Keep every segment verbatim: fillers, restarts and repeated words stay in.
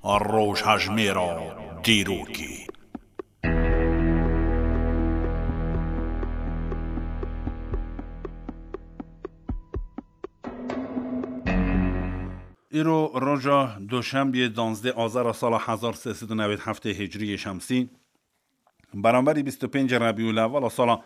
Rojhejmêra dîrokê. Îro roja Doşembiyê, danzdeh Azara sala hezar sê sed û newêd heftê Hicriyê Şemsî, beramberî bîst û pêncê Rebîûl Ewwela sala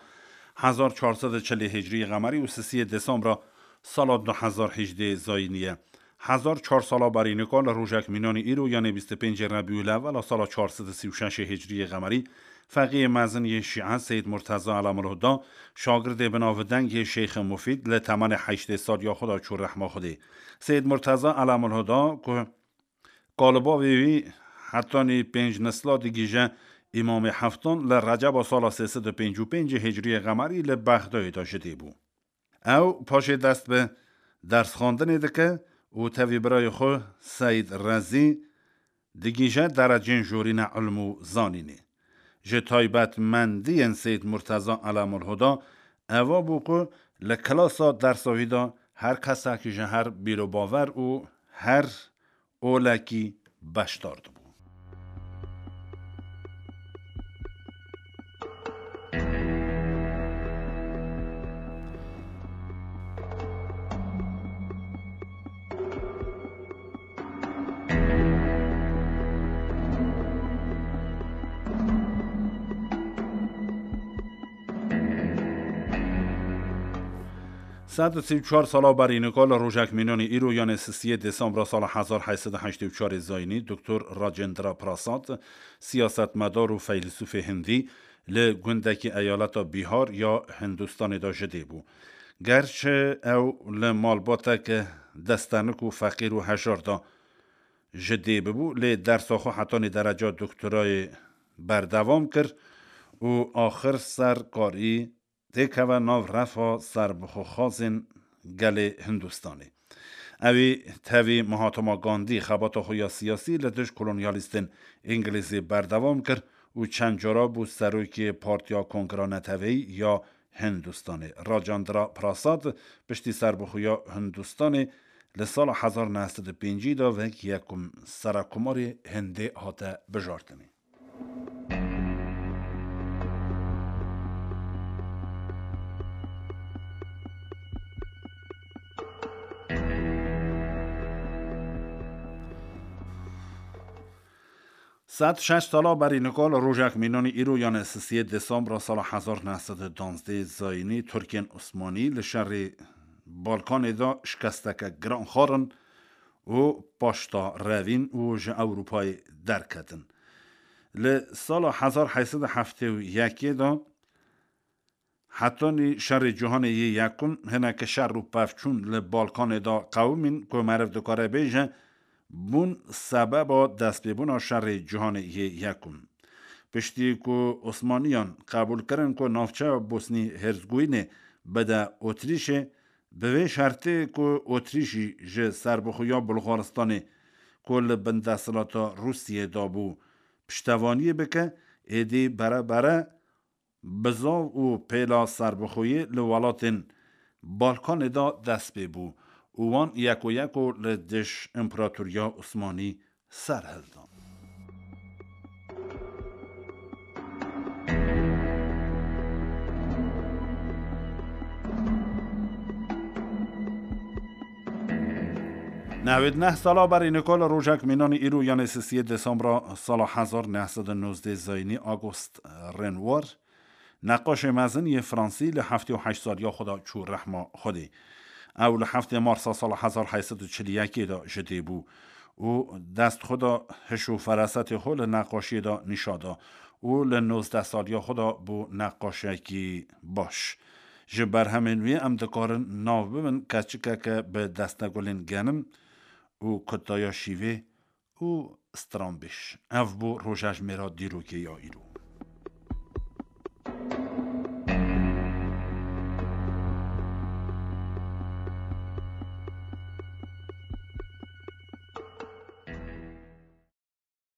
hezar çar sed û çilê Hicriyê Qemerî û sisiyê Desembra sala du hezar hejdê Zayînî ye. Hezar çar sala berî nika li rojek mînanî îro, yanê bîst û pêncê Rebîûl Ewwela sala çar sed û sî û şeşê Hicriyê Qemerî, feqiyê mezin yê Şîe Seyyid Murteza Elemulhuda, şagirdê binavdeng yê Şeyxê Mufîd, li temenê heştê saliya xwe de çû rehma Xwedê. Seyyid Murteza Elemulhuda ku kalibavê wî hetanî pênc nesla digihîje Îmamê Heftan, li Receba sala sê sed û pêncî û pêncê Hicriyê Qemerî li Bexdayê de ji dê bû. Ew paşê dest bi dersxwendinê dike û tevî birayê xwe Seyd Rezî digihîje derecên jorîne ilm û zanînê. Ji taybetmendiyên Seyd Murteza Elemulhuda eva bû ku li klasa dersa wî de her kesekî ji her bîrobawer û her olekî beşdar dibû. Sed û sî û çar sala berî nika li rojek mînanî îro, yanê sisiyê Desembra sala hezar heyt sed û heştê û çarê Zayînî, Doktor Rajendra Prasad, siyasetmedar û feylesûfê hindî, li gundekî eyaleta Bîhar ya Hindistanê de ji dê bû. Gerçi ew li malbatek destenik û feqîr û hejar de ji dê bibû, lê dersa xwe hetanî dereca doktorayê berdewam kir û axir ser karî têkeve nav refa serbixwexwazên gelê Hindistanê. Ewî tevî Mahatma Gandî xebata xwe ya siyasî li dij kolonyalîstên Îngilîzî berdewam kir û çend cara bû serokê Partiya Kongra Neteweyî ya Hindistanê. Rajendra Prasad piştî serbixweya Hindistanê li sala hezar neh sed û pêncî de wek yekum serekomarê Hindê hate bijartinê. Sed şeş sala berî nika li rojek mînanî îro, yanê sisiyê Desembra sala hezar neh sed û danzdeh Zayînî, Tirkên Osmanî li şerê Balkanê de şikesteke giran xwarin û paşta revîn û ji Ewropayê derketin. Li sala hezar heyt sed û heftê û yekê de hetanî şerê cîhanê yê yekum hineke şer û pevçûn li Balkanê de qewimîn ku meriv dikare bêje, bûn sebeba destpêbûna şerê cîhanê yê yekum. Piştî ku Osmaniyan qebûl kirin ku navçeya Bosnî Herzegovînê bide Otrîşê, bi vê şertê ku Otrîşî ji serbixweya Bulxaristanê ku li bin desthilata Rûsiyê de bû, piştevaniyê bike, êdî bere bere bizav û pêla serbixweyî li welatên Balkanê de dest pê bû û wan yeko yeko li dij împeratoriya Osmanî ser hildan. Newêd neh sala berî nika li rojek mînanî îro, yanê sisiyê Desembra sala hezar neh sed û nozdeh Zayînî, Auguste Renoir, neqaşê mezin yê Fransî, li heftê û heşt saliya xwe de çû rehma Xwedê. Ew li heftê Marsa sala hezar heyt sed û çil û yekê de ji dê bû û dest xwe da, hiş û ferasetê xwe li neqaşiyê de nîşa da û li nozdeh saliya xwe de bû neqaşekî baş. Ji berhemên wî em dikarin nav bibin Keçikeke bi destegulên genim û Kutaya Şîvê û Stranbêj. Ev bû rojejmêra dîrokê ya îro.